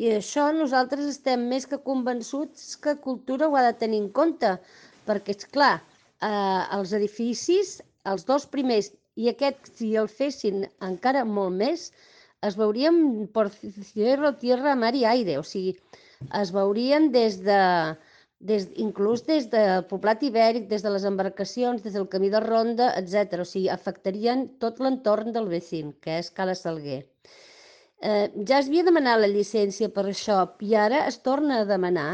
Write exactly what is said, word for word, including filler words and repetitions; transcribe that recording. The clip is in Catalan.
I això nosaltres estem més que convençuts que cultura ho ha de tenir en compte, perquè, és clar, eh, els edificis, els dos primers, i aquest, si el fessin encara molt més, es veurien por cielo, tierra, mar i aire, o sigui, es veurien des de, des, inclús des del poblat ibèric, des de les embarcacions, des del camí de ronda, etcètera. O sigui, afectarien tot l'entorn del vecin, que és Cala Salguer. Eh, ja es havia demanat la llicència per això i ara es torna a demanar